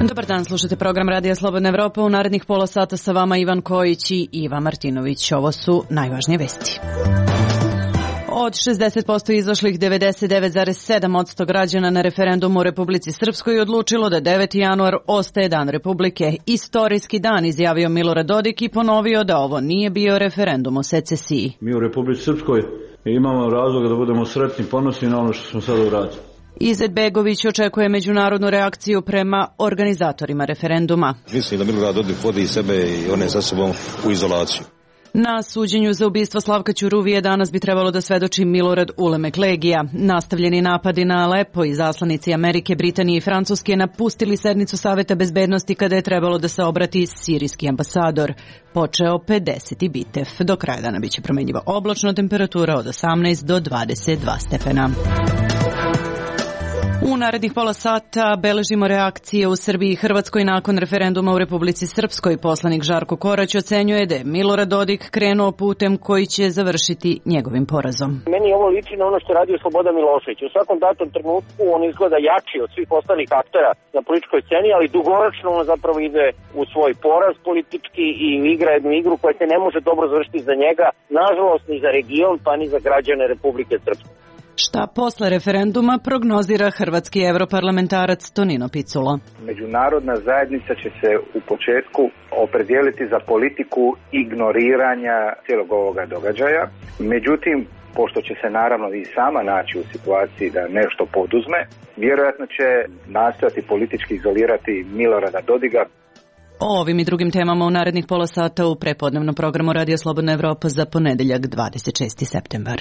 Dobar dan, slušate program Radija Slobodna Evropa. U narednih pola sata sa vama Ivan Kojić i Iva Martinović. Ovo su najvažnije vesti. Od 60% izašlih 99,7% građana na referendumu u Republici Srpskoj odlučilo da 9. januar ostaje dan Republike. Istorijski dan, izjavio Milorad Dodik i ponovio da ovo nije bio referendum o secesiji. Mi u Republici Srpskoj imamo razloga da budemo sretni i ponosni na ono što smo sada uradili. Izetbegović očekuje međunarodnu reakciju prema organizatorima referenduma. Mislim da Milorad Dodik vodi sebe i one sa sobom u izolaciju. Na suđenju za ubistvo Slavka Ćuruvije danas bi trebalo da svedoči Milorad Ulemek Legija. Nastavljeni napadi na Alepo i zaslanici Amerike, Britanije i Francuske napustili sednicu Saveta bezbednosti kada je trebalo da se obrati sirijski ambasador. Počeo 50. bitev. Do kraja dana biće promenljiva oblačno, temperatura od 18 do 22 stepena. U narednih pola sata beležimo reakcije u Srbiji i Hrvatskoj nakon referenduma u Republici Srpskoj. Poslanik Žarko Korać ocenjuje da je Milorad Dodik krenuo putem koji će završiti njegovim porazom. Meni ovo liči na ono što radi Slobodan Milošević. U svakom datom trenutku on izgleda jači od svih ostalih aktera na političkoj sceni, ali dugoročno on zapravo ide u svoj poraz politički i igra jednu igru koja se ne može dobro završiti za njega, nažalost ni za region, pa ni za građane Republike Srpske. Šta posle referenduma prognozira hrvatski europarlamentarac Tonino Picula. Međunarodna zajednica će se u početku opredijeliti za politiku ignoriranja cijelog ovoga događaja. Međutim, pošto će se naravno i sama naći u situaciji da nešto poduzme, vjerojatno će nastojati politički izolirati Milorada Dodiga. O ovim i drugim temama u narednih pola sata u prepodnevnom programu Radio Slobodna Evropa za ponedeljak 26. septembar.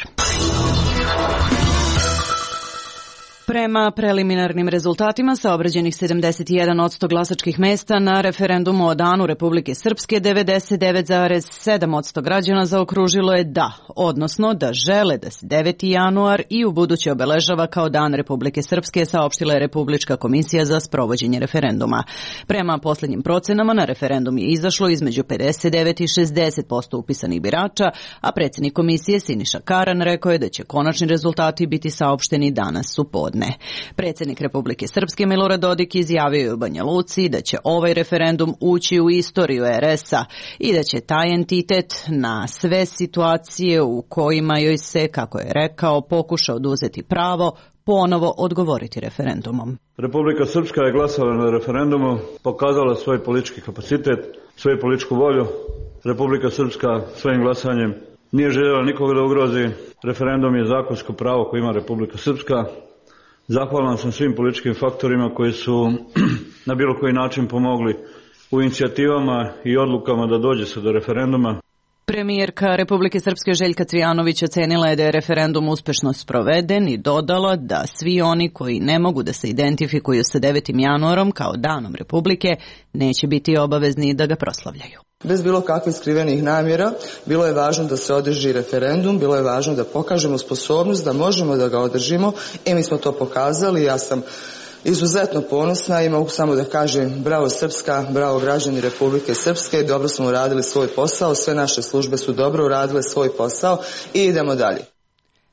Prema preliminarnim rezultatima sa obrađenih 71% glasačkih mesta na referendumu o danu Republike Srpske, 99,7% građana zaokružilo je da, odnosno da žele da se 9. januar i u buduće obeležava kao dan Republike Srpske, saopštila je Republička komisija za sprovođenje referenduma. Prema poslednjim procenama na referendum je izašlo između 59 i 60% upisanih birača, a predsjednik komisije Siniša Karan rekao je da će konačni rezultati biti saopšteni danas u podne. Predsjednik Republike Srpske Milorad Dodik izjavio je u Banja Luci da će ovaj referendum ući u istoriju RS-a i da će taj entitet na sve situacije u kojima joj se, kako je rekao, pokuša oduzeti pravo, ponovo odgovoriti referendumom. Republika Srpska je glasala na referendumu, pokazala svoj politički kapacitet, svoju političku volju. Republika Srpska svojim glasanjem nije željela nikoga da ugrozi. Referendum je zakonsko pravo koje ima Republika Srpska. Zahvalan sam svim političkim faktorima koji su na bilo koji način pomogli u inicijativama i odlukama da dođe se do referenduma. Premijerka Republike Srpske Željka Cvijanović ocenila je da je referendum uspešno sproveden i dodala da svi oni koji ne mogu da se identifikuju sa 9. januarom kao danom Republike neće biti obavezni da ga proslavljaju. Bez bilo kakvih skrivenih namjera, bilo je važno da se održi referendum, bilo je važno da pokažemo sposobnost da možemo da ga održimo i mi smo to pokazali. Ja sam izuzetno ponosna i mogu samo da kažem bravo Srpska, bravo građani Republike Srpske, dobro smo uradili svoj posao, sve naše službe su dobro uradile svoj posao i idemo dalje.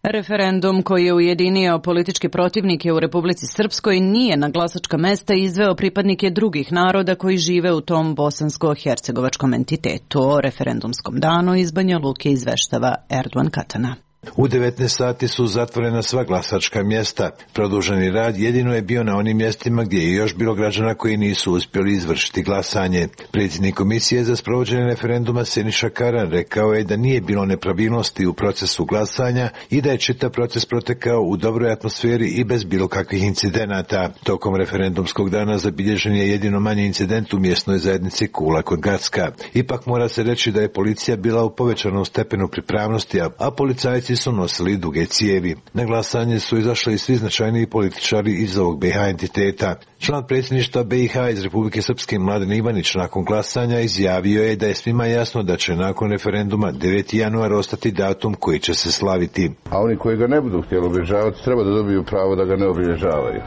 Referendum koji je ujedinio političke protivnike u Republici Srpskoj nije na glasačka mesta izveo pripadnike drugih naroda koji žive u tom bosansko-hercegovačkom entitetu. O referendumskom danu iz Banja Luke izveštava Erdogan Katana. U 19 sati su zatvorena sva glasačka mjesta. Produženi rad jedino je bio na onim mjestima gdje je još bilo građana koji nisu uspjeli izvršiti glasanje. Predsjednik komisije za sprovođenje referenduma Siniša Karan rekao je da nije bilo nepravilnosti u procesu glasanja i da je čitav proces protekao u dobroj atmosferi i bez bilo kakvih incidenata. Tokom referendumskog dana zabilježen je jedino manji incident u mjesnoj zajednici Kula kod Gracka. Ipak mora se reći da je policija bila u povećanom stepenu pripravnosti, a policajci su nosili duge cijevi. Na glasanje su izašli i svi značajniji političari iz ovog BiH entiteta. Član predsjedništva BiH iz Republike Srpske Mladen Ivanić nakon glasanja izjavio je da je svima jasno da će nakon referenduma 9. januar ostati datum koji će se slaviti. A oni koji ga ne budu htjeli obilježavati treba da dobiju pravo da ga ne obilježavaju.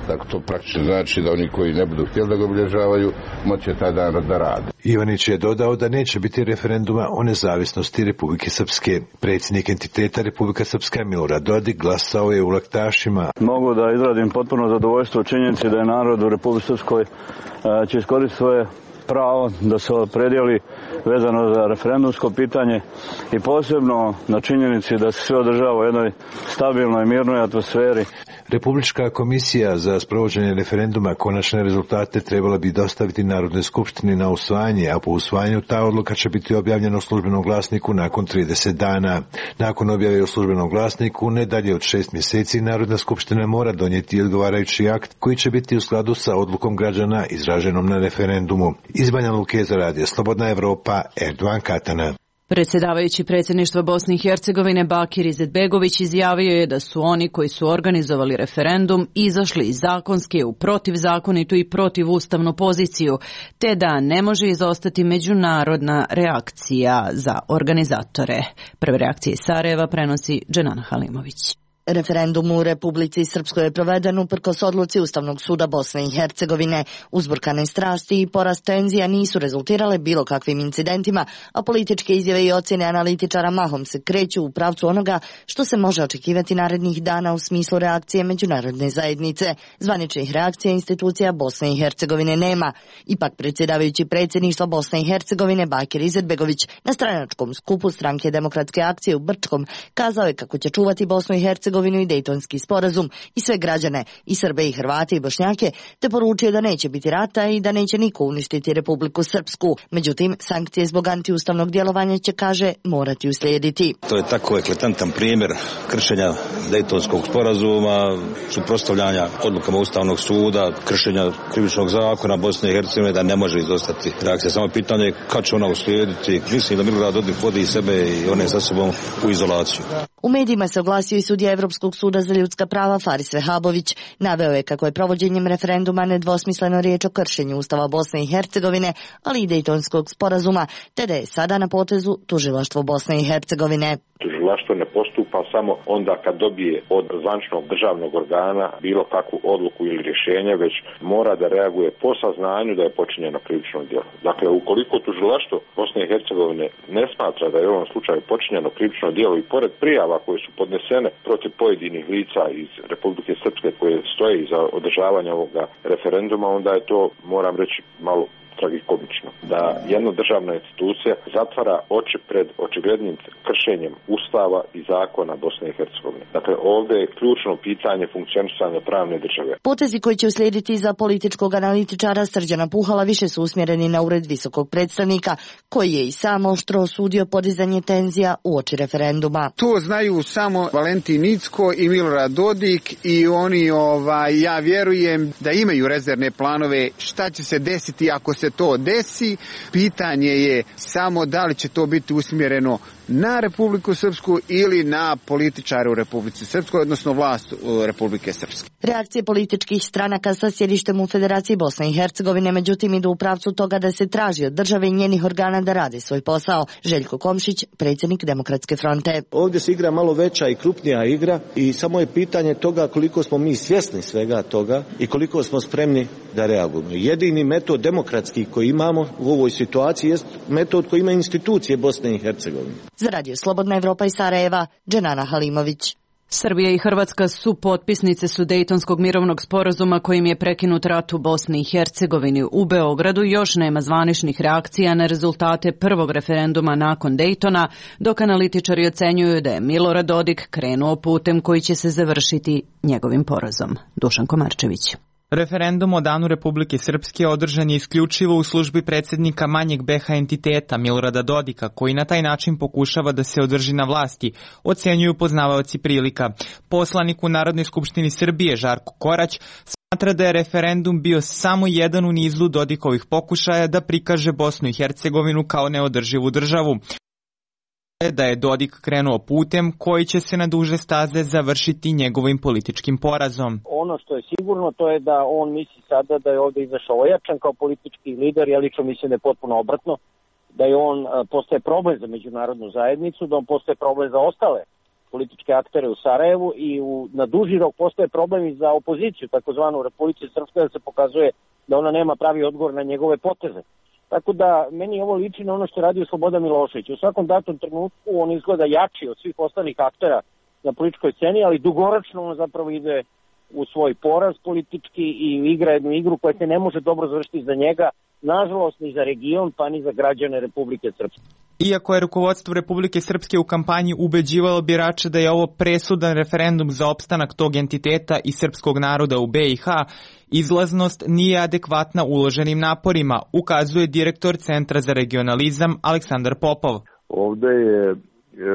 Dakle, to praktično znači da oni koji ne budu htjeli da ga obilježavaju, moće taj dan da rade. Ivanić je dodao da neće biti referenduma o nezavisnosti Republike Srpske. Predsjednik entiteta Republika Srpska Milorad Dodik glasao je u Laktašima. Mogu da izradim potpuno zadovoljstvo u činjenici da je narod u Republici Srpskoj će iskoristiti svoje pravo da se opredijeli vezano za referendumsko pitanje i posebno na činjenici da se sve održava u jednoj stabilnoj, mirnoj atmosferi. Republička komisija za sprovođenje referenduma konačne rezultate trebala bi dostaviti Narodnoj skupštini na usvajanje, a po usvajanju ta odluka će biti objavljena u Službenom glasniku nakon 30 dana. Nakon objave u Službenom glasniku, ne dalje od 6 mjeseci, Narodna skupština mora donijeti odgovarajući akt koji će biti u skladu sa odlukom građana izraženom na referendumu. Iz Banja Luke za Radio Slobodna Evropa, Erdogan Katana. Predsjedavajući predsjedništva Bosne i Hercegovine Bakir Izetbegović izjavio je da su oni koji su organizovali referendum izašli iz zakonske u protivzakonitu i protivustavnu poziciju, te da ne može izostati međunarodna reakcija za organizatore. Prve reakcije iz Sarajeva prenosi Dženana Halimović. Referendum u Republici Srpskoj je proveden uprkos odluci Ustavnog suda Bosne i Hercegovine. Uzburkane strasti i porast tenzija nisu rezultirale bilo kakvim incidentima, a političke izjave i ocjene analitičara mahom se kreću u pravcu onoga što se može očekivati narednih dana u smislu reakcije međunarodne zajednice. Zvaničnih reakcija institucija Bosne i Hercegovine nema. Ipak predsjedavajući predsjedništva Bosne i Hercegovine Bakir Izetbegović na stranačkom skupu Stranke demokratske akcije u Brčkom kazao je kako će čuvati Bosnu i Hercegovinu i Dejtonski sporazum i sve građane, i Srbe i Hrvate i Bošnjake, te poručio da neće biti rata i da neće niko uništiti Republiku Srpsku. Međutim, sankcije zbog antiustavnog djelovanja će, kaže, morati uslijediti. To je tako eklatantan primjer kršenja Dejtonskog sporazuma, suprotstavljanja odlukama Ustavnog suda, kršenja krivičnog zakona Bosne i Hercegovine, da ne može izostati reakcija. Samo pitanje je kad će ona uslijediti. Mislim da Milorad Dodik vodi sebe i one sa sobom u izolaciju. U medijima se oglasio i sudija Evropskog suda za ljudska prava Faris Vehabović. Naveo je kako je provođenjem referenduma nedvosmisleno riječ o kršenju Ustava Bosne i Hercegovine, ali i Dejtonskog sporazuma, te da je sada na potezu tužilaštvo Bosne i Hercegovine. Tužilaštvo ne postupa samo onda kad dobije od zvaničnog državnog organa bilo kakvu odluku ili rješenje, već mora da reaguje po saznanju da je počinjeno krivično djelo. Dakle, ukoliko tužilaštvo Bosne i Hercegovine ne smatra da je u ovom slučaju počinjeno krivično djelo i pored prijava koje su podnesene protiv pojedinih lica iz Republike Srpske koje stoje iza održavanja ovoga referenduma, onda je to, moram reći, malo tragikomično. Da jedna državna institucija zatvara oči pred očiglednim kršenjem Ustava i zakona Bosne i Hercegovine. Dakle, ovdje je ključno pitanje funkcionisanja pravne države. Potezi koji će uslijediti za političkog analitičara Srđana Puhala više su usmjereni na ured visokog predstavnika, koji je i sam oštro osudio podizanje tenzija uoči referenduma. To znaju samo Valentin Incko i Milorad Dodik i oni, ja vjerujem da imaju rezervne planove šta će se desiti ako se to desi. Pitanje je samo da li će to biti usmjereno na Republiku Srpsku ili na političare u Republici Srpskoj, odnosno vlast Republike Srpske. Reakcije političkih stranaka sa sjedištem u Federaciji Bosne i Hercegovine međutim idu u pravcu toga da se traži od države i njenih organa da rade svoj posao. Željko Komšić, predsjednik Demokratske fronte. Ovdje se igra malo veća i krupnija igra i samo je pitanje toga koliko smo mi svjesni svega toga i koliko smo spremni da reagujemo. Jedini metod demokratski koji imamo u ovoj situaciji jest metod koji ima institucije Bosne i Hercegovine. Za Radio Slobodna Evropa iz Sarajeva, Dženana Halimović. Srbija i Hrvatska su potpisnice su Dejtonskog mirovnog sporazuma kojim je prekinut rat u Bosni i Hercegovini. U Beogradu još nema zvaničnih reakcija na rezultate prvog referenduma nakon Dejtona, dok analitičari ocenjuju da je Milorad Dodik krenuo putem koji će se završiti njegovim porazom. Dušan Komarčević. Referendum o Danu Republike Srpske održan je isključivo u službi predsjednika manjeg BH entiteta Milorada Dodika, koji na taj način pokušava da se održi na vlasti, ocenjuju poznavaoci prilika. Poslanik u Narodnoj skupštini Srbije Žarko Korać smatra da je referendum bio samo jedan u nizu Dodikovih pokušaja da prikaže Bosnu i Hercegovinu kao neodrživu državu. Da je Dodik krenuo putem koji će se na duže staze završiti njegovim političkim porazom. Ono što je sigurno to je da on misli sada da je ovdje izašao ojačan kao politički lider, ja lično mislim da je potpuno obratno, da je on postaje problem za međunarodnu zajednicu, da on postaje problem za ostale političke aktere u Sarajevu i na duži rok postoje problemi za opoziciju, takozvanu u Republici Srpskoj, da se pokazuje da ona nema pravi odgovor na njegove poteze. Tako da meni ovo liči na ono što je radio Slobodan Milošević. U svakom datom trenutku on izgleda jači od svih ostalih aktera na političkoj sceni, ali dugoročno on zapravo ide u svoj poraz politički i igra jednu igru koja se ne može dobro završiti za njega, nažalost ni za region pa ni za građane Republike Srpske. Iako je rukovodstvo Republike Srpske u kampanji ubeđivalo birače da je ovo presudan referendum za opstanak tog entiteta i srpskog naroda u BiH, izlaznost nije adekvatna uloženim naporima, ukazuje direktor Centra za regionalizam Aleksandar Popov. Ovde je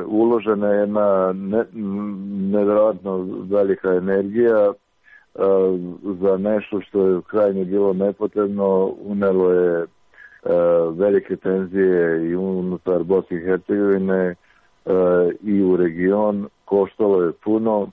uložena jedna nevjerojatno velika energija za nešto što je krajnje bilo nepotrebno, unelo je velike tenzije i unutar Bosne i Hercegovine i u region, koštalo je puno,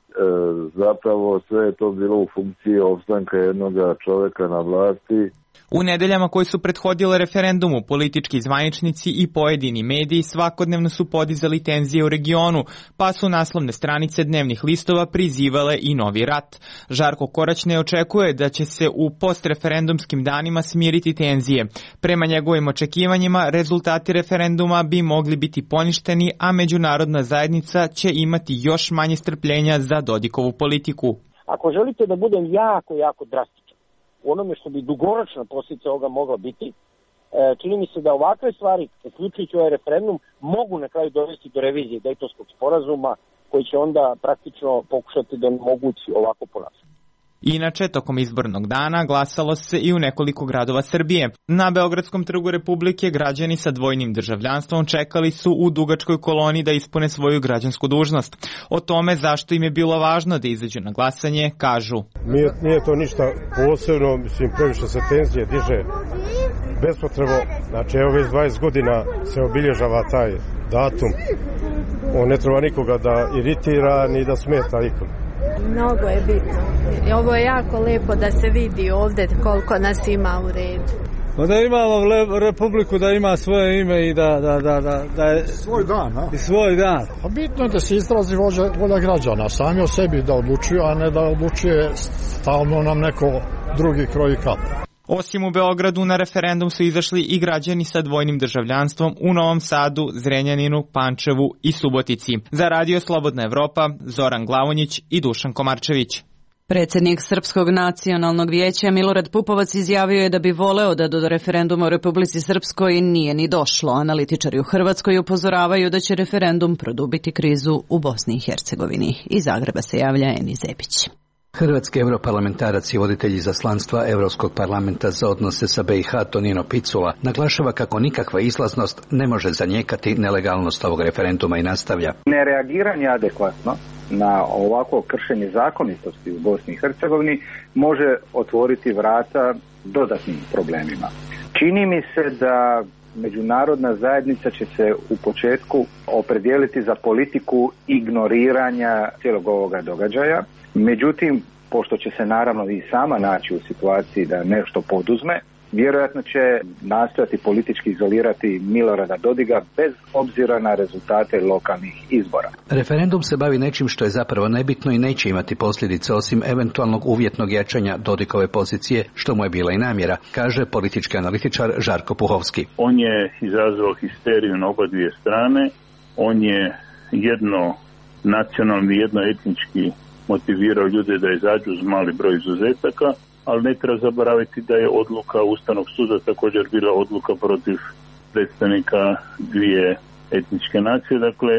zapravo sve je to bilo u funkciji opstanka jednog čovjeka na vlasti. U nedeljama koji su prethodile referendumu, politički zvaničnici i pojedini mediji svakodnevno su podizali tenzije u regionu, pa su naslovne stranice dnevnih listova prizivale i novi rat. Žarko Korać ne očekuje da će se u postreferendumskim danima smiriti tenzije. Prema njegovim očekivanjima, rezultati referenduma bi mogli biti poništeni, a međunarodna zajednica će imati još manje strpljenja za Dodikovu politiku. Ako želite da budem jako drastičan u onome što bi dugoročna posljedica ovoga mogla biti, čini mi se da ovakve stvari, uključujući ovaj referendum, mogu na kraju dovesti do revizije Dejtonskog sporazuma, koji će onda praktično pokušati da omogući ovako ponašanje. Inače, tokom izbornog dana glasalo se i u nekoliko gradova Srbije. Na Beogradskom trgu Republike građani sa dvojnim državljanstvom čekali su u dugačkoj koloni da ispune svoju građansku dužnost. O tome zašto im je bilo važno da izađu na glasanje, kažu. Nije to ništa posebno, mislim, previše se tenzije diže bespotrebno. Znači, evo već 20 godina se obilježava taj datum. On ne treba nikoga da iritira ni da smeta nikom. Mnogo je bitno. Ovo je jako lepo da se vidi ovdje koliko nas ima u redu. Da imamo republiku, da ima svoje ime i da je svoj dan, a? I svoj dan. A bitno je da se izrazi volja građana, sami o sebi da odlučuju, a ne da odlučuje stalno nam neko drugi kroji kap. Osim u Beogradu, na referendum su izašli i građani sa dvojnim državljanstvom u Novom Sadu, Zrenjaninu, Pančevu i Subotici. Za Radio Slobodna Evropa, Zoran Glavonjić i Dušan Komarčević. Predsjednik Srpskog nacionalnog vijeća Milorad Pupovac izjavio je da bi voleo da do referenduma u Republici Srpskoj nije ni došlo. Analitičari u Hrvatskoj upozoravaju da će referendum produbiti krizu u Bosni i Hercegovini. Iz Zagreba se javlja Eni Zebić. Hrvatski europarlamentarac i voditelj izaslanstva Europskog parlamenta za odnose sa BiH Tonino Picula naglašava kako nikakva izlaznost ne može zanijekati nelegalnost ovog referenduma i nastavlja. Nereagiranje adekvatno na ovako kršenje zakonitosti u Bosni i Hercegovini može otvoriti vrata dodatnim problemima. Čini mi se da međunarodna zajednica će se u početku opredijeliti za politiku ignoriranja cijelog ovoga događaja. Međutim, pošto će se naravno i sama naći u situaciji da nešto poduzme, vjerojatno će nastojati politički izolirati Milorada Dodiga bez obzira na rezultate lokalnih izbora. Referendum se bavi nečim što je zapravo nebitno i neće imati posljedice osim eventualnog uvjetnog jačanja Dodikove pozicije, što mu je bila i namjera, kaže politički analitičar Žarko Puhovski. On je izazvao histeriju na oba dvije strane, on je jedno nacionalni, jedno etnički motivirao ljude da izađu uz mali broj izuzetaka, ali ne treba zaboraviti da je odluka Ustavnog suda također bila odluka protiv predstavnika dvije etničke nacije. Dakle,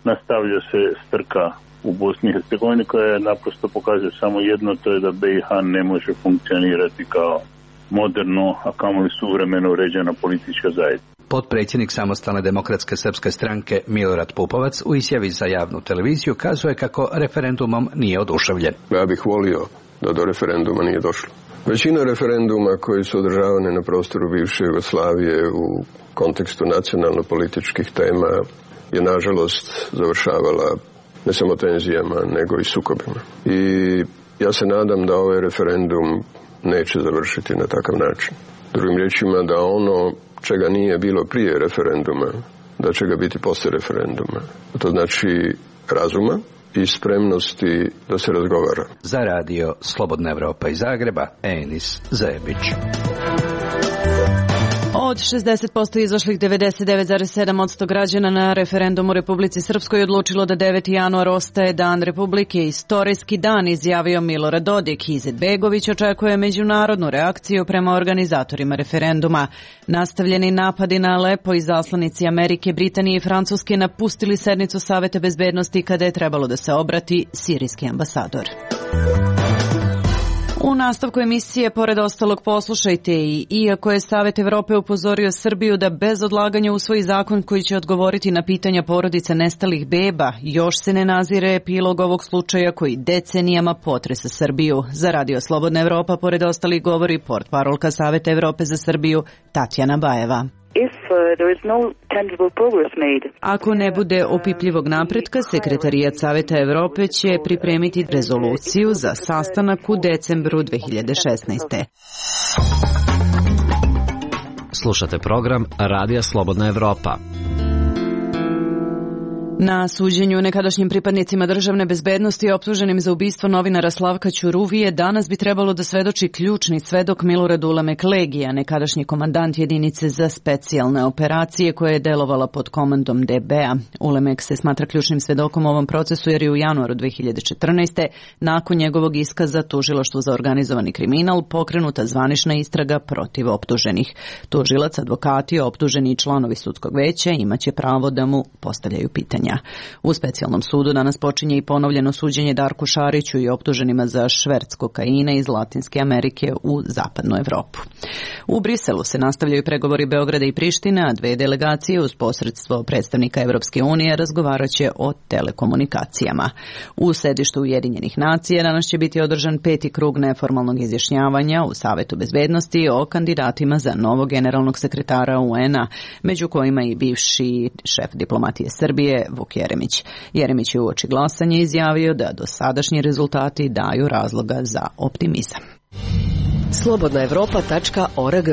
nastavlja se strka u Bosni i Hercegovini koja naprosto pokazuje samo jedno, to je da BiH ne može funkcionirati kao moderno, a kamoli suvremeno uređena politička zajednica. Potpredsjednik Samostalne demokratske srpske stranke Milorad Pupovac u izjavi za javnu televiziju kazuje kako referendumom nije oduševljen. Ja bih volio da do referenduma nije došlo. Većina referenduma koji su održavani na prostoru bivše Jugoslavije u kontekstu nacionalno-političkih tema je nažalost završavala ne samo tenzijama, nego i sukobima. I ja se nadam da ovaj referendum neće završiti na takav način. Drugim riječima, da ono čega nije bilo prije referenduma, da će ga biti poslije referenduma. To znači razuma i spremnosti da se razgovara. Za radio Slobodna Evropa iz Zagreba, Enis Zebić. Od 60% izašlih 99,7% građana na referendum u Republici Srpskoj odlučilo da 9. januar ostaje dan Republike, istorijski dan, izjavio Milorad Dodik. Izetbegović očekuje međunarodnu reakciju prema organizatorima referenduma. Nastavljeni napadi na Alepo i zaslanici Amerike, Britanije i Francuske napustili sednicu Saveta bezbednosti kada je trebalo da se obrati sirijski ambasador. U nastavku emisije, pored ostalog, poslušajte i iako je Savet Evrope upozorio Srbiju da bez odlaganja usvoji zakon koji će odgovoriti na pitanja porodica nestalih beba, još se ne nazire epilog ovog slučaja koji decenijama potresa Srbiju. Za Radio Slobodna Evropa, pored ostalih, govori portparolka Saveta Evrope za Srbiju Tatjana Bajeva. Ako ne bude opipljivog napretka, Sekretarijat Saveta Evrope će pripremiti rezoluciju za sastanak u decembru 2016. Slušate program Radija Slobodna Evropa. Na suđenju nekadašnjim pripadnicima državne bezbednosti optuženim za ubistvo novinara Slavka Ćuruvije danas bi trebalo da svedoči ključni svedok Milorad Ulemek Legija, nekadašnji komandant jedinice za specijalne operacije koja je delovala pod komandom DB-a. Ulemek se smatra ključnim svedokom u ovom procesu jer je u januaru 2014. nakon njegovog iskaza tužilaštvu za organizovani kriminal pokrenuta zvanična istraga protiv optuženih. Tužilac, advokati, optuženi i članovi sudskog veća imaće pravo da mu postavljaju pitanja. U specijalnom sudu danas počinje i ponovljeno suđenje Darku Šariću i optuženima za šverc kokaina iz Latinske Amerike u zapadnu Evropu. U Briselu se nastavljaju pregovori Beograda i Prištine, a dve delegacije uz posredstvo predstavnika Evropske unije razgovaraće o telekomunikacijama. U sedištu Ujedinjenih nacija danas će biti održan 5. krug neformalnog izjašnjavanja u Savetu bezbednosti o kandidatima za novog generalnog sekretara UN-a, među kojima i bivši šef diplomatije Srbije Vuk Jeremić. Jeremić je uoči glasanja izjavio da dosadašnji rezultati daju razloga za optimizam. slobodnaevropa.org.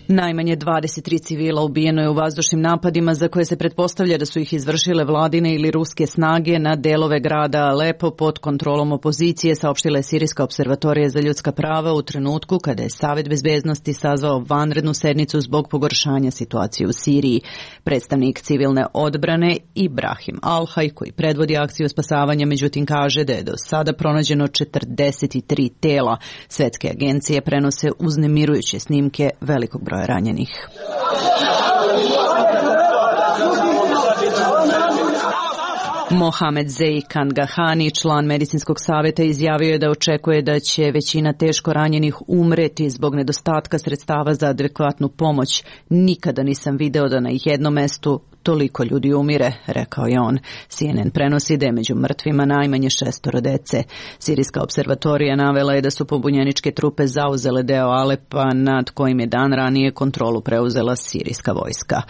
Najmanje 23 civila ubijeno je u vazdušnim napadima za koje se pretpostavlja da su ih izvršile vladine ili ruske snage na delove grada Alepo pod kontrolom opozicije, saopštila je Sirijska observatorija za ljudska prava u trenutku kada je Savet bezbednosti sazvao vanrednu sednicu zbog pogoršanja situacije u Siriji. Predstavnik civilne odbrane Ibrahim Alhaj, koji predvodi akciju spasavanja, međutim kaže da je do sada pronađeno 43 tela. Svetske agencije prenose uznemirujuće snimke velikog broja ranjenih. Mohamed Zei Kangahani, član medicinskog saveta, izjavio je da očekuje da će većina teško ranjenih umreti zbog nedostatka sredstava za adekvatnu pomoć. Nikada nisam video da na jednom mestu toliko ljudi umire, rekao je on. CNN prenosi da je među mrtvima najmanje 6 dece. Sirijska observatorija navela je da su pobunjeničke trupe zauzele deo Alepa nad kojim je dan ranije kontrolu preuzela sirijska vojska.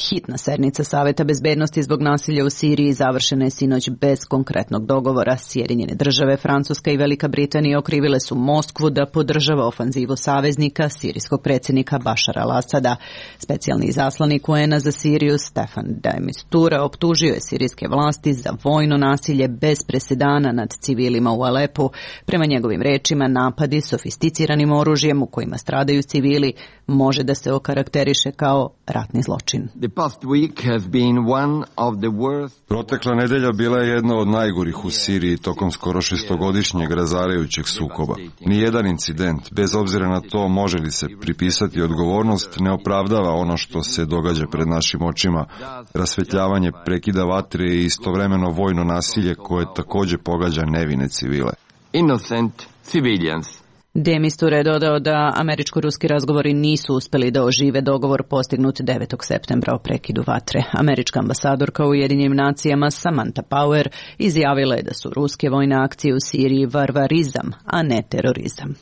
Hitna sednica Saveta bezbednosti zbog nasilja u Siriji završena je sinoć bez konkretnog dogovora. Sjedinjene države, Francuska i Velika Britanija okrivile su Moskvu da podržava ofanzivu saveznika, sirijskog predsjednika Bašara al-Asada. Specijalni izaslanik UN-a za Siriju, Stefan de Mistura, optužio je sirijske vlasti za vojno nasilje bez presedana nad civilima u Alepu. Prema njegovim rečima, napadi sofisticiranim oružjem u kojima stradaju civili može da se okarakteriše kao ratni zločin. Protekla nedelja bila je jedna od najgorih u Siriji tokom skoro 6-godišnjeg razarajućeg sukoba. Nijedan incident, bez obzira na to može li se pripisati odgovornost, ne opravdava ono što se događa pred našim očima. Rasvetljavanje prekida vatre i istovremeno vojno nasilje koje također pogađa nevine civile. Innocent civilians. De Mistura je dodao da američko-ruski razgovori nisu uspeli da ožive dogovor postignut 9. septembra o prekidu vatre. Američka ambasadorka u Ujedinjenim nacijama Samantha Power izjavila je da su ruske vojne akcije u Siriji varvarizam, a ne terorizam.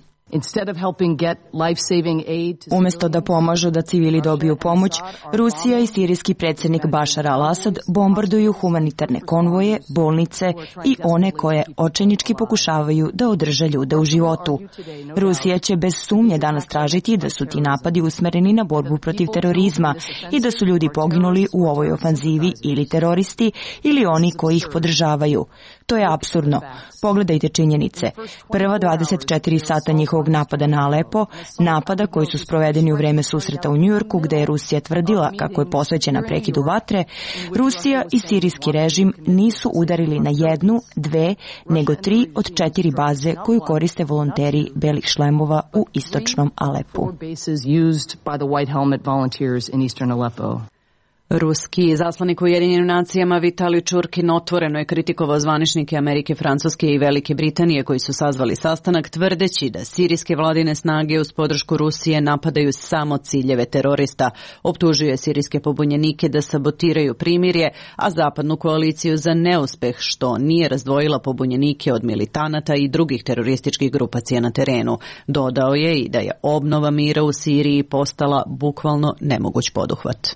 Umjesto da pomažu da civili dobiju pomoć, Rusija i sirijski predsjednik Bašar al-Asad bombarduju humanitarne konvoje, bolnice i one koje očajnički pokušavaju da održe ljude u životu. Rusija će bez sumnje danas tražiti da su ti napadi usmereni na borbu protiv terorizma i da su ljudi poginuli u ovoj ofanzivi ili teroristi ili oni koji ih podržavaju. To je apsurdno. Pogledajte činjenice. Prva 24 sata njihovog napada na Alepo, napada koji su sprovedeni u vreme susreta u Njujorku gde je Rusija tvrdila kako je posvećena prekidu vatre, Rusija i sirijski režim nisu udarili na 1, 2, nego 3 od 4 baze koju koriste volonteri belih šlemova u istočnom Alepu. Ruski zaslanik u Ujedinjenim nacijama Vitalij Čurkin otvoreno je kritikovao zvaničnike Amerike, Francuske i Velike Britanije koji su sazvali sastanak tvrdeći da sirijske vladine snage uz podršku Rusije napadaju samo ciljeve terorista. Optužuje sirijske pobunjenike da sabotiraju primirje, a zapadnu koaliciju za neuspeh što nije razdvojila pobunjenike od militanata i drugih terorističkih grupacija na terenu. Dodao je i da je obnova mira u Siriji postala bukvalno nemoguć poduhvat.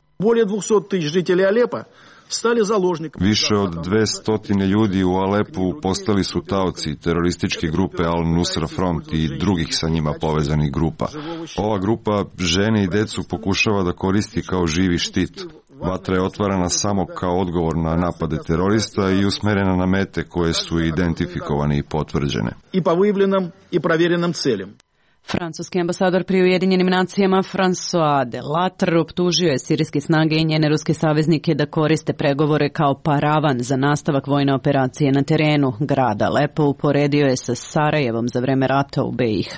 Više od 200 ljudi u Alepu postali su taoci terorističke grupe Al-Nusra Front i drugih sa njima povezanih grupa. Ova grupa žene i decu pokušava da koristi kao živi štit. Vatra je otvarana samo kao odgovor na napade terorista i usmerena na mete koje su identifikovane i potvrđene. Francuski ambasador pri Ujedinjenim nacijama François Delattre optužio je sirijske snage i njene ruske saveznike da koriste pregovore kao paravan za nastavak vojne operacije na terenu. Grad Alepo uporedio je sa Sarajevom za vreme rata u BiH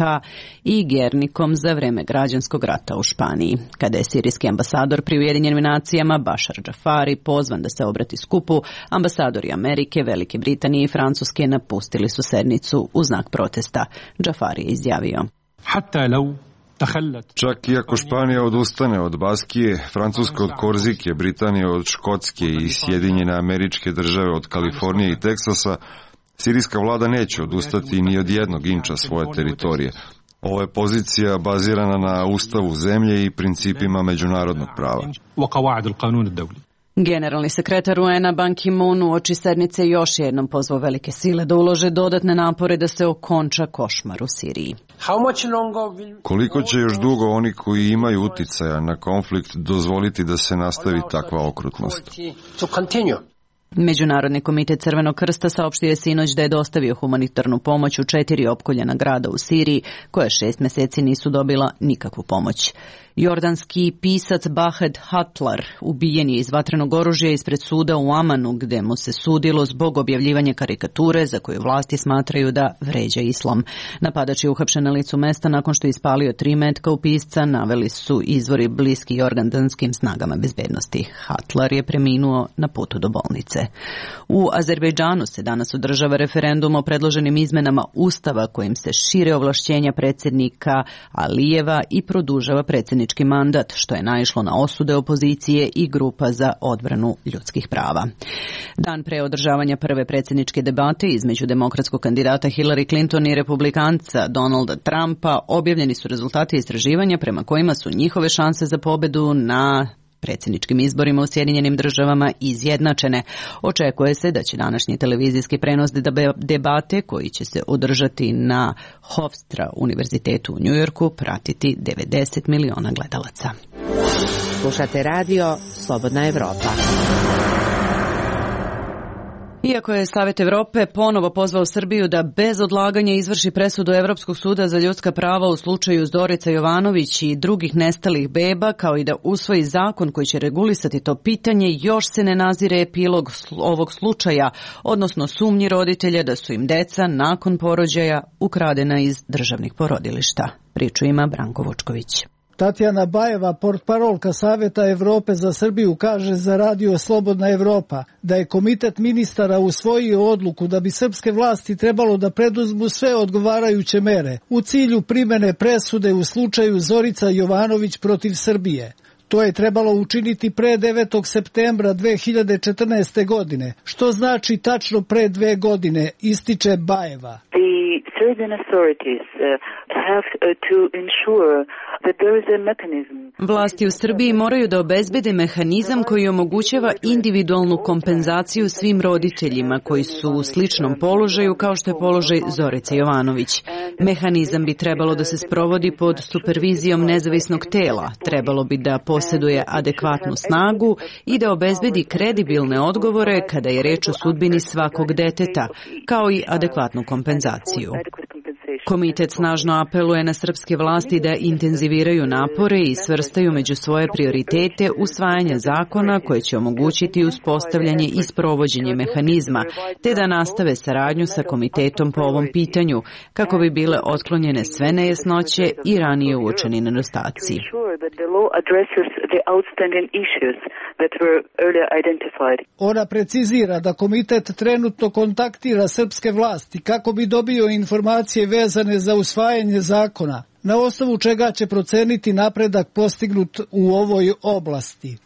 i Gernikom za vreme građanskog rata u Španiji. Kada je sirijski ambasador pri Ujedinjenim nacijama Bashar Jafari pozvan da se obrati skupu, ambasadori Amerike, Velike Britanije i Francuske napustili su sednicu u znak protesta. Jafari je izjavio: Čak i ako Španija odustane od Baskije, Francuska od Korzike, Britanija od Škotske i Sjedinjene Američke Države od Kalifornije i Teksasa, sirijska vlada neće odustati ni od jednog inča svoje teritorije. Ovo je pozicija bazirana na ustavu zemlje i principima međunarodnog prava. Generalni sekretar UN-a Ban Ki-moon uoči sednice još jednom pozvao velike sile da ulože dodatne napore da se okonča košmar u Siriji. Koliko će još dugo oni koji imaju uticaja na konflikt dozvoliti da se nastavi takva okrutnost? Međunarodni komitet Crvenog krsta saopštio je sinoć da je dostavio humanitarnu pomoć u 4 opkoljena grada u Siriji, koja 6 meseci nisu dobila nikakvu pomoć. Jordanski pisac Bahed Hatlar ubijen je iz vatrenog oružja ispred suda u Amanu, gde mu se sudilo zbog objavljivanja karikature za koju vlasti smatraju da vređa islam. Napadač je uhapšen na licu mesta nakon što je ispalio 3 metka u pisca, naveli su izvori bliski jordanskim snagama bezbednosti. Hatlar je preminuo na putu do bolnice. U Azerbejdžanu se danas održava referendum o predloženim izmenama Ustava kojim se šire ovlašćenja predsjednika Alijeva i produžava predsjednički mandat, što je naišlo na osude opozicije i grupa za odbranu ljudskih prava. Dan pre održavanja prve predsjedničke debate između demokratskog kandidata Hillary Clinton i republikanca Donalda Trumpa objavljeni su rezultati istraživanja prema kojima su njihove šanse za pobedu na predsjedničkim izborima u Sjedinjenim državama izjednačene. Očekuje se da će današnji televizijski prenos debate koji će se održati na Hofstra univerzitetu u Njujorku pratiti 90 miliona gledalaca. Slušate radio Slobodna Evropa. Iako je Savet Evrope ponovo pozvao Srbiju da bez odlaganja izvrši presudu Evropskog suda za ljudska prava u slučaju Zorica Jovanović i drugih nestalih beba, kao i da usvoji zakon koji će regulisati to pitanje, još se ne nazire epilog ovog slučaja, odnosno sumnji roditelja da su im deca nakon porođaja ukradena iz državnih porodilišta. Priču ima Branko Vučković. Tatjana Bajeva, portparolka Saveta Evrope za Srbiju, kaže za radio Slobodna Evropa da je komitet ministara usvojio odluku da bi srpske vlasti trebalo da preduzmu sve odgovarajuće mere u cilju primene presude u slučaju Zorica Jovanović protiv Srbije. To je trebalo učiniti pre 9. septembra 2014. godine, što znači tačno pre 2 godine, ističe Bajeva. Vlasti u Srbiji moraju da obezbede mehanizam koji omogućava individualnu kompenzaciju svim roditeljima koji su u sličnom položaju kao što je položaj Zorice Jovanović. Mehanizam bi trebalo da se sprovodi pod supervizijom nezavisnog tela, trebalo bi da posjeduje adekvatnu snagu i da obezbedi kredibilne odgovore kada je reč o sudbini svakog deteta, kao i adekvatnu kompenzaciju. Komitet snažno apeluje na srpske vlasti da intenziviraju napore i svrstaju među svoje prioritete usvajanja zakona koje će omogućiti uspostavljanje i sprovođenje mehanizma, te da nastave saradnju sa komitetom po ovom pitanju, kako bi bile otklonjene sve nejasnoće i ranije uočeni nedostaci. Ona precizira da komitet trenutno kontaktira srpske vlasti kako bi dobio informacije vezane za usvajanje zakona, na osnovu čega će proceniti napredak postignut u ovoj oblasti.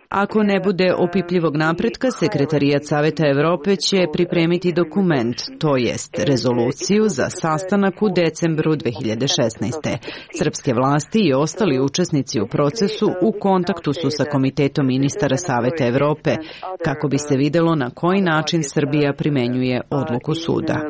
Ako ne bude opipljivog napretka, Sekretarijat Saveta Evrope će pripremiti dokument, to jest rezoluciju za sastanak u decembru 2016. Srpske vlasti i ostali učesnici u procesu u kontaktu su sa Komitetom ministara Saveta Evrope, kako bi se videlo na koji način Srbija primenjuje odluku suda.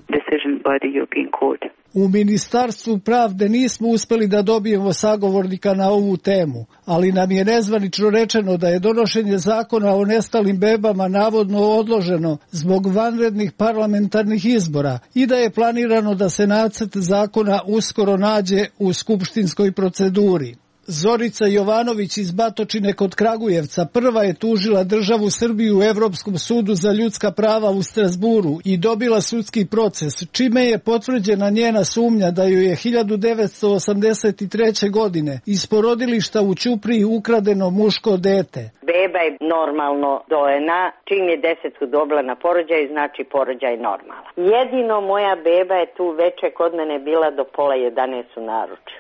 U Ministarstvu pravde nismo uspeli da dobijemo sagovornika na ovu temu, ali nam je nezvanično rečeno da je donošenje zakona o nestalim bebama navodno odloženo zbog vanrednih parlamentarnih izbora i da je planirano da se nacrt zakona uskoro nađe u skupštinskoj proceduri. Zorica Jovanović iz Batočine kod Kragujevca prva je tužila državu Srbiju u Evropskom sudu za ljudska prava u Strasburu i dobila sudski proces, čime je potvrđena njena sumnja da joj je 1983. godine iz porodilišta u Ćupriji ukradeno muško dete. Beba je normalno dojena, čim je 10 dobila na porođaj, znači porođaj normalan. Jedino moja beba je tu veče kod mene bila do 10:30 u naručju.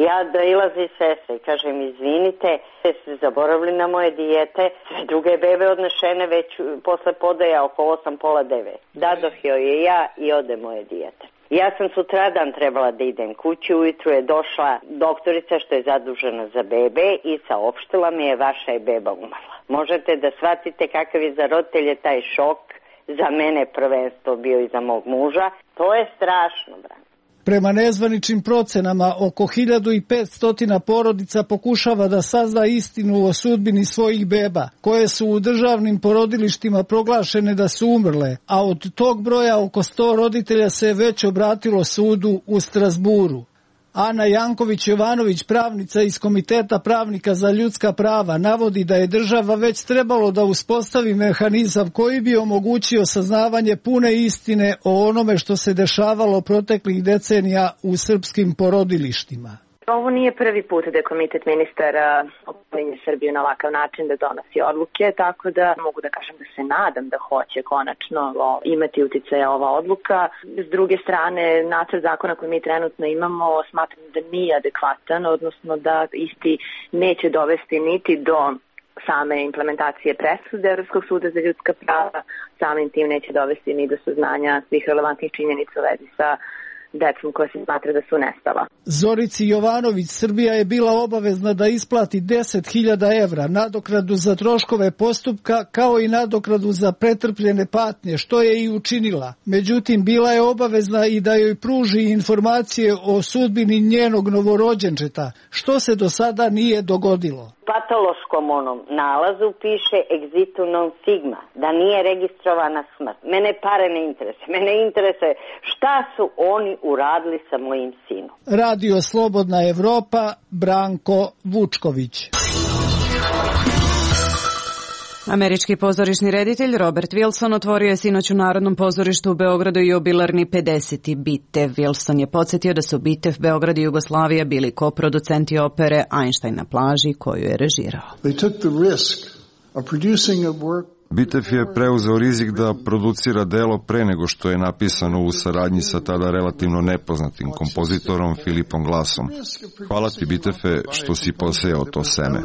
Ja dailazi sestre i kažem, izvinite, ste zaboravili na moje dijete, sve druge bebe odnešene već posle podaja oko 8:30. Dadoh joj je ja i ode moje dijete. Ja sam sutradan trebala da idem kući, ujutru je došla doktorica što je zadužena za bebe i saopštila mi je vaša je beba umrla. Možete da shvatite kakav je za roditelje taj šok, za mene prvenstvo bio i za mog muža. To je strašno, brate. Prema nezvaničnim procenama, oko 1500 porodica pokušava da sazna istinu o sudbini svojih beba, koje su u državnim porodilištima proglašene da su umrle, a od tog broja oko 100 roditelja se već obratilo sudu u Strasburu. Ana Janković-Jovanović, pravnica iz Komiteta pravnika za ljudska prava, navodi da je država već trebalo da uspostavi mehanizam koji bi omogućio saznavanje pune istine o onome što se dešavalo proteklih decenija u srpskim porodilištima. Ovo nije prvi put da je Komitet ministara opominje Srbiju na ovakav način da donosi odluke, tako da mogu da kažem da se nadam da hoće konačno imati uticaja ova odluka. S druge strane, nacrt zakona koji mi trenutno imamo smatram da nije adekvatan, odnosno da isti neće dovesti niti do same implementacije presude Evropskog suda za ljudska prava, samim tim neće dovesti ni do saznanja svih relevantnih činjenica u vezi sa decom koja se smatra da su nestala. Zorici Jovanović Srbija je bila obavezna da isplati 10.000 evra nadoknadu za troškove postupka kao i nadoknadu za pretrpljene patnje, što je i učinila. Međutim, bila je obavezna i da joj pruži informacije o sudbini njenog novorođenčeta, što se do sada nije dogodilo. Patološkom onom nalazu piše exitu non sigma, da nije registrovana smrt. Mene pare ne interesuje. Mene interesuje šta su oni uradili sa mojim sinom. Radio Slobodna Evropa, Branko Vučković. Američki pozorišni reditelj Robert Wilson otvorio je sinoć u Narodnom pozorištu u Beogradu jubilarni 50. Bitev. Wilson je podsjetio da su Bitev, Beograd i Jugoslavija bili koproducenti opere Einstein na plaži koju je režirao. Bitef je preuzeo rizik da producira delo pre nego što je napisano u saradnji sa tada relativno nepoznatim kompozitorom Filipom Glassom. Hvala ti, Bitefe, što si posejao to seme.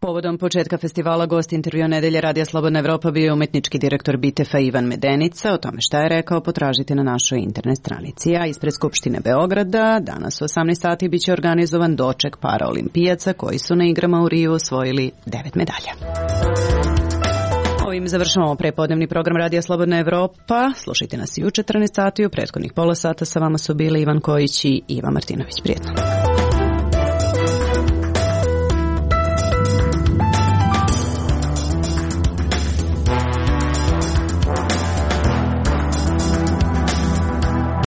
Povodom početka festivala gost intervjua Nedelje Radija Slobodna Evropa bio je umetnički direktor Bitefa Ivan Medenica. O tome šta je rekao potražite na našoj internet stranici. A ispred Skupštine Beograda danas u 18 sati biće organizovan doček paraolimpijaca koji su na igrama u Riju osvojili 9 medalja. Ovim završavamo prepodnevni program Radija Slobodna Evropa. Slušajte nas i u 14 sati. U prethodnih pola sata sa vama su bili Ivan Kojić i Iva Martinović. Prijetno.